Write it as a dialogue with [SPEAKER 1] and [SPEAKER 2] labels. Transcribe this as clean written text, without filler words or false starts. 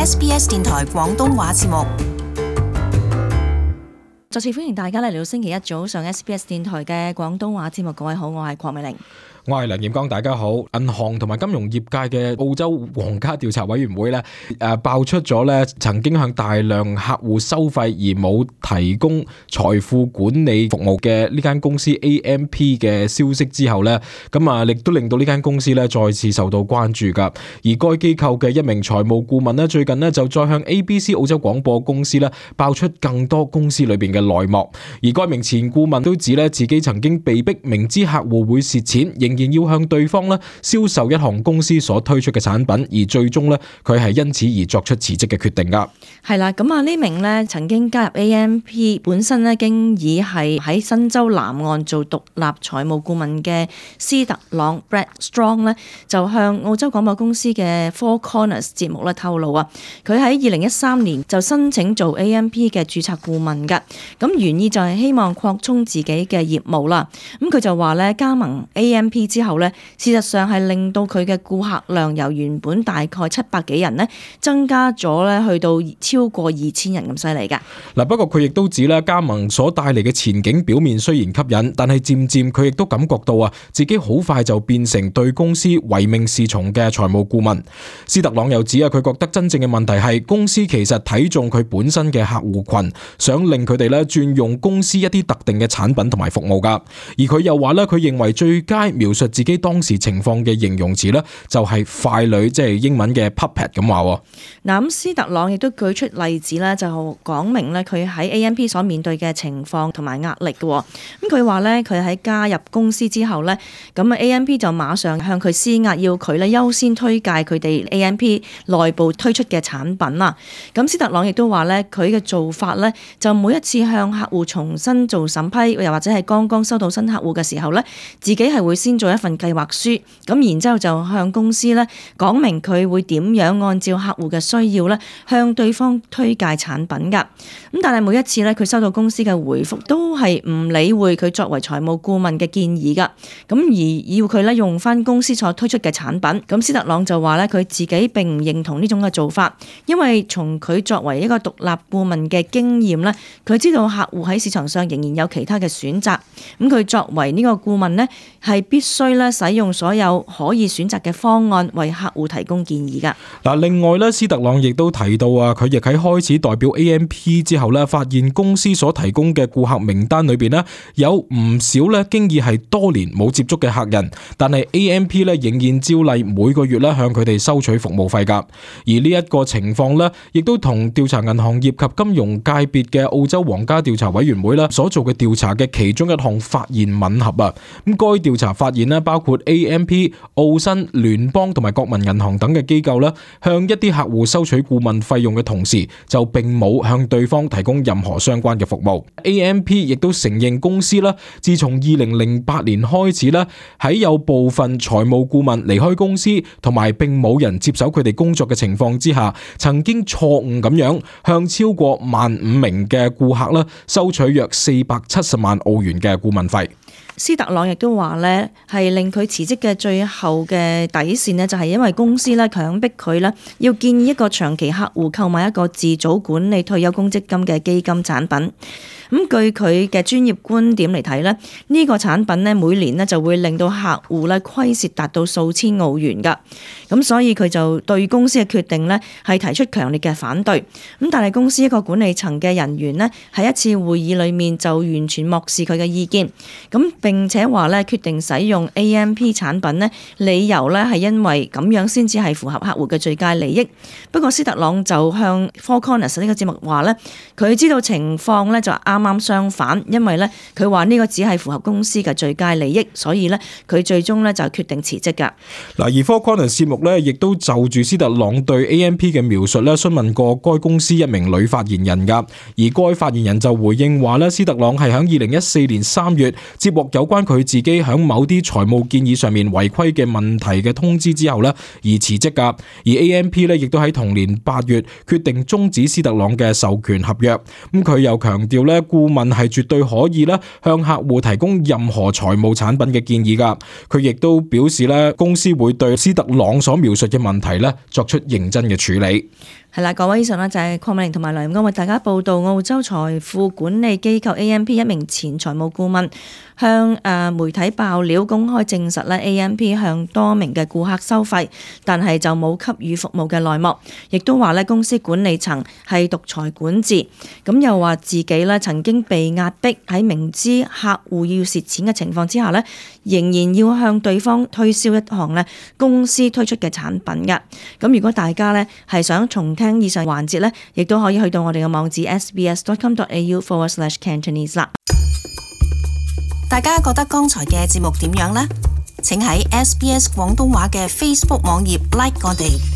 [SPEAKER 1] SBS 電台廣東話節目。
[SPEAKER 2] 再次歡迎大家嚟到星期一早上 SBS 電台嘅廣東話節目。各位好，我係鄺美玲。
[SPEAKER 3] 我係梁彥剛，大家好。銀行同埋金融業界嘅澳洲皇家調查委員會咧，爆出咗咧曾經向大量客戶收費而冇提供財富管理服務嘅呢間公司 AMP 嘅消息之後咧，亦都令到呢間公司咧再次受到關注噶。而該機構嘅一名財務顧問咧，最近咧就再向 ABC 澳洲廣播公司咧爆出更多公司裏邊嘅內幕。而該名前顧問都指咧自己曾經被逼明知客戶會蝕錢，仍然要向對方咧銷售一項公司所推出嘅產品，而最終咧佢係因此而作出辭職嘅決定噶。
[SPEAKER 2] 係啦，呢名咧曾經加入 AMP 本身咧經已係喺新州南岸做獨立財務顧問嘅斯特朗 Brad Strong 咧，就向澳洲廣播公司嘅 Four Corners 節目咧透露啊，佢喺2013年就申請做 AMP 嘅註冊顧問噶，咁原意就係希望擴充自己嘅業務啦。咁佢就話咧加盟 AMP 之後咧，事實上係令到佢嘅顧客量由原本大概700幾人咧，增加咗咧去到超過2000人咁犀利㗎。
[SPEAKER 3] 嗱，不過佢亦都指咧加盟所帶嚟嘅前景表面雖然吸引，但係漸漸佢亦都感覺到自己好快就變成對公司唯命是從嘅財務顧問。斯特朗又指佢覺得真正嘅問題係公司其實睇中佢本身嘅客戶群，想令佢哋咧轉用公司一啲特定嘅產品同埋服務㗎。而佢又話咧，佢認為最佳描述自己當時情況嘅形容詞咧，就係傀儡，即係英文嘅 puppet 咁話。
[SPEAKER 2] 嗱，斯特朗亦都舉出例子咧，就講明咧佢喺 AMP 所面對嘅情況同埋壓力嘅。咁佢話咧，佢喺加入公司之後咧，咁AMP 就馬上向佢施壓，要佢咧優先推介佢哋 AMP 內部推出嘅產品啦。咁斯特朗亦都話咧，佢嘅做法咧，就每一次向客戶重新做審批，又或者係剛剛收到新客戶嘅時候咧，自己係會先做一份計劃書，咁然之後就向公司咧講明佢會點樣按照客戶嘅需要咧向對方推介產品㗎。咁但係每一次咧佢收到公司嘅回覆都係唔理會佢作為財務顧問嘅建議㗎，咁而要佢咧用翻公司所推出嘅產品。咁斯特朗就話咧佢自己並唔認同呢種嘅做法，因為從佢作為一個獨立顧問嘅經驗咧，佢知道客戶喺市場上仍然有其他嘅選擇。咁佢作為呢個顧問咧係必須咧使用所有可以選擇嘅方案為客戶提供建議㗎。
[SPEAKER 3] 嗱，另外咧，斯特朗亦都提到佢亦喺開始代表 AMP 之後咧，發現公司所提供嘅顧客名單裏邊咧，有唔少咧經已係多年冇接觸嘅客人，但係 AMP 咧仍然照例每個月咧向佢哋收取服務費㗎。而呢一個情況咧，亦都同調查銀行業及金融界別嘅澳洲皇家調查委員會咧所做嘅調查嘅其中一項發現吻合啊。咁該調查發現咧，包括 AMP、澳新、聯邦同埋國民銀行等嘅機構咧，向一啲客戶收取顧問費用嘅同時，就並冇向對方提供任何相關嘅服務。AMP 亦都承認公司啦，自從2008年開始咧，喺有部分財務顧問離開公司同埋並冇人接手佢哋工作嘅情況之下，曾經錯誤咁樣向超過15,000名嘅顧客啦收取約470萬澳元嘅顧問費。
[SPEAKER 2] 斯特朗亦都話咧，係令佢辭職嘅最後嘅底線呢，就係因為公司咧強迫佢咧要建議一個長期客戶購買一個自組管理退休公積金嘅基金產品。咁據佢嘅專業觀點嚟睇咧，呢個產品咧每年咧就會令到客戶咧虧蝕達到數千澳元㗎。咁所以佢就對公司嘅決定咧係提出強烈嘅反對。咁但係公司一個管理層嘅人員咧喺一次會議裏面就完全漠視佢嘅意見。咁並且話咧決定使用 AMP 產品咧，理由咧係因為咁樣先至係符合客戶嘅最佳利益。不過斯特朗就向 Four Corners 呢個節目話咧，佢知道情況咧就啱啱相反，因為咧佢話呢個只係符合公司嘅最佳利益，所以咧佢最終咧就決定辭職㗎。
[SPEAKER 3] 嗱，而 Four Corners 節目咧亦都就住斯特朗對 AMP 嘅描述咧詢問過該公司一名女發言人㗎，而該發言人就回應話咧，斯特朗係喺2014年3月接獲有關佢自己喺某啲財務建議上面違規嘅問題嘅通知之後咧而辭職㗎，而 AMP 咧亦都喺同年8月決定終止斯特朗嘅授權合約。咁佢又強調咧，顧問係絕對可以咧向客戶提供任何財務產品嘅建議㗎。佢亦都表示咧，公司會對斯特朗所描述嘅問題咧作出認真嘅處理。
[SPEAKER 2] 係啦，各位，以上呢就係鄺美玲同埋梁安為大家報道澳洲財富管理機構 AMP 一名前財務顧問向媒體爆料，公開證實咧 AMP 向多名嘅顧客收費，但係就冇給予服務嘅內幕，亦都話咧公司管理層係獨裁管治，咁又話自己咧曾經被壓迫喺明知客戶要蝕錢嘅情況之下咧，仍然要向對方推銷一項咧公司推出嘅產品㗎。咁如果大家咧係想重聽以上環節咧，亦都可以去到我哋嘅網址 sbs.com.au/Cantonese 啦。
[SPEAKER 1] 大家覺得剛才嘅節目點樣呢？請喺 SBS 廣東話嘅 Facebook 網頁 like 我哋。